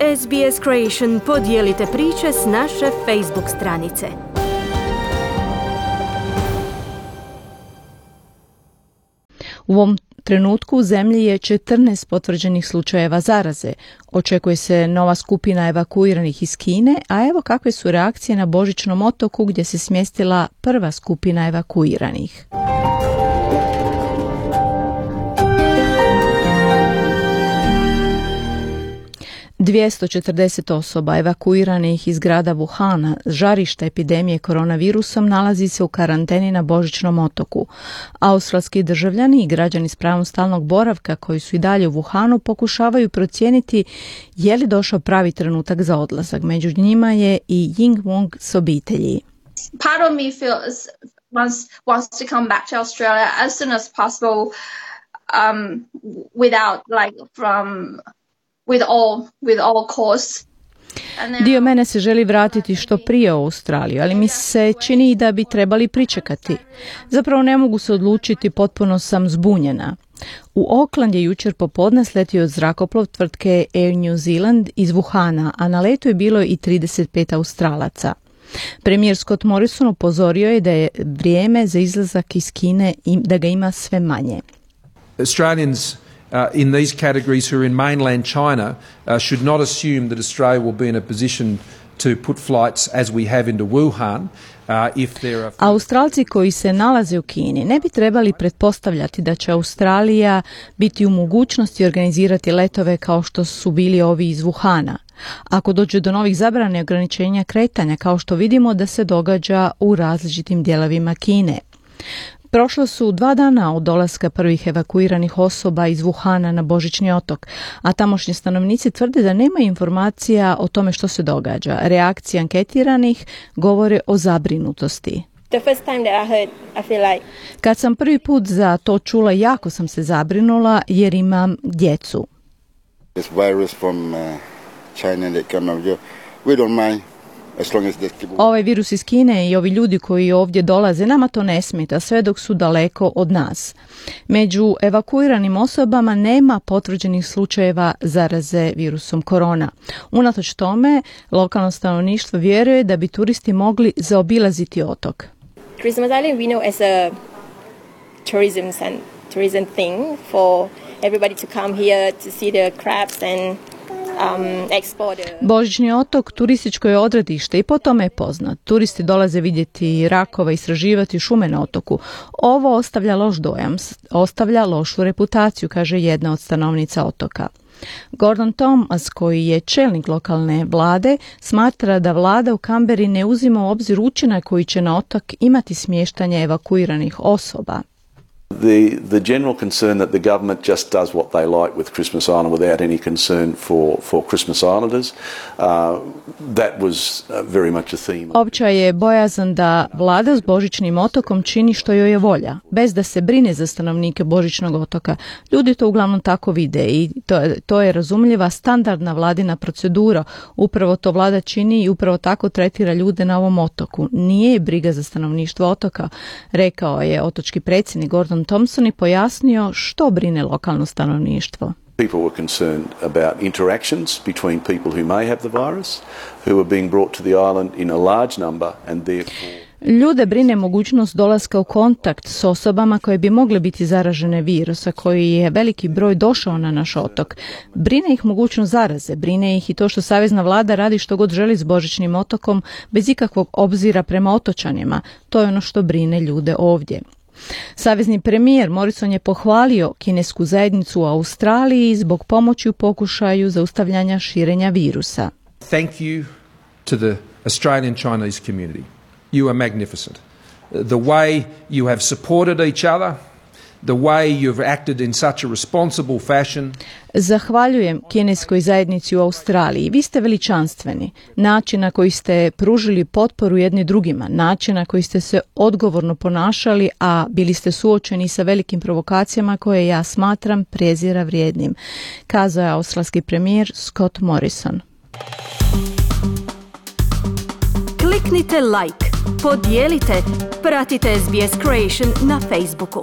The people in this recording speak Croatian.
SBS Creation, podijelite priče s naše Facebook stranice. U ovom trenutku u zemlji je 14 potvrđenih slučajeva zaraze. Očekuje se nova skupina evakuiranih iz Kine, a evo kakve su reakcije na Božićnom otoku gdje se smjestila prva skupina evakuiranih. ...240 osoba evakuiranih iz grada Wuhana, žarišta epidemije koronavirusom, nalazi se u karanteni na Božićnom otoku. Australski državljani i građani s pravom stalnog boravka koji su i dalje u Wuhanu pokušavaju procijeniti je li došao pravi trenutak za odlazak. Među njima je i Ying Wong s obitelji. Part of me feels wants to come back to Australia as soon as possible, without with all costs. Dio mene se želi vratiti što prije u Australiju, ali mi se čini da bi trebali pričekati. Zapravo ne mogu se odlučiti, potpuno sam zbunjena. U Auckland je jučer popodne sletio zrakoplov tvrtke Air New Zealand iz Wuhana, a na letu je bilo i 35 Australaca. Premijer Scott Morrison upozorio je da je vrijeme za izlazak iz Kine i da ga ima sve manje. Australians in these categories who are in mainland China should not assume that Australia will be in a position to put flights as we have into Wuhan. Australci koji se nalaze u Kini ne bi trebali pretpostavljati da će Australija biti u mogućnosti organizirati letove kao što su bili ovi iz Wuhana. Ako dođe do novih zabrane ograničenja kretanja, kao što vidimo da se događa u različitim dijelovima Kine. Prošlo su 2 dana od dolaska prvih evakuiranih osoba iz Wuhana na Božićni otok, a tamošnji stanovnici tvrde da nema informacija o tome što se događa. Reakcije anketiranih govore o zabrinutosti. Kad sam prvi put za to čula, jako sam se zabrinula jer imam djecu. Ovaj virus iz Kine i ovi ljudi koji ovdje dolaze, nama to ne smeta sve dok su daleko od nas. Među evakuiranim osobama nema potvrđenih slučajeva zaraze virusom korona. Unatoč tome, lokalno stanovništvo vjeruje da bi turisti mogli zaobilaziti otok. Christmas Island we know as a tourism thing for everybody to come here to see the crabs and Božićni otok turističko je odredište i po tome je poznat. Turisti dolaze vidjeti rakova, istraživati šume na otoku. Ovo ostavlja loš dojam, ostavlja lošu reputaciju, kaže jedna od stanovnica otoka. Gordon Thomas, koji je čelnik lokalne vlade, smatra da vlada u Kamberi ne uzima u obzir učinak koji će na otok imati smještanje evakuiranih osoba. The general concern that the government just does what they like with Christmas Island without any concern for Christmas Islanders, that was very much a theme. Opća je bojazan da vlada s Božićnim otokom čini što joj je volja, bez da se brine za stanovnike Božićnog otoka. Ljudi to uglavnom tako vide i to je razumljiva standardna vladina procedura. Upravo to vlada čini i upravo tako tretira ljude na ovom otoku. Nije je briga za stanovništvo otoka, rekao je otočki predsjednik Gordon Thompson i pojasnio što brine lokalno stanovništvo. People were concerned about interactions between people who may have the virus, who are being brought to the island in a large number and therefore Ljude brine mogućnost dolaska u kontakt s osobama koje bi mogle biti zaražene virusa, koji je veliki broj došao na naš otok. Brine ih mogućnost zaraze, brine ih i to što savezna vlada radi što god želi s Božićnim otokom, bez ikakvog obzira prema otočanima. To je ono što brine ljude ovdje. Savezni premijer Morrison je pohvalio kinesku zajednicu u Australiji zbog pomoći u pokušaju zaustavljanja širenja virusa. Thank you to the Australian Chinese community. You are magnificent. The way you have supported each other, the way you've acted in such a responsible fashion. Zahvaljujem kineskoj zajednici u Australiji. Vi ste veličanstveni. Način na koji ste pružili potporu jedni drugima, način na koji ste se odgovorno ponašali, a bili ste suočeni sa velikim provokacijama koje ja smatram prezira vrijednim, kazao je australski premijer Scott Morrison. Kliknite like, podijelite, pratite SBS Creation na Facebooku.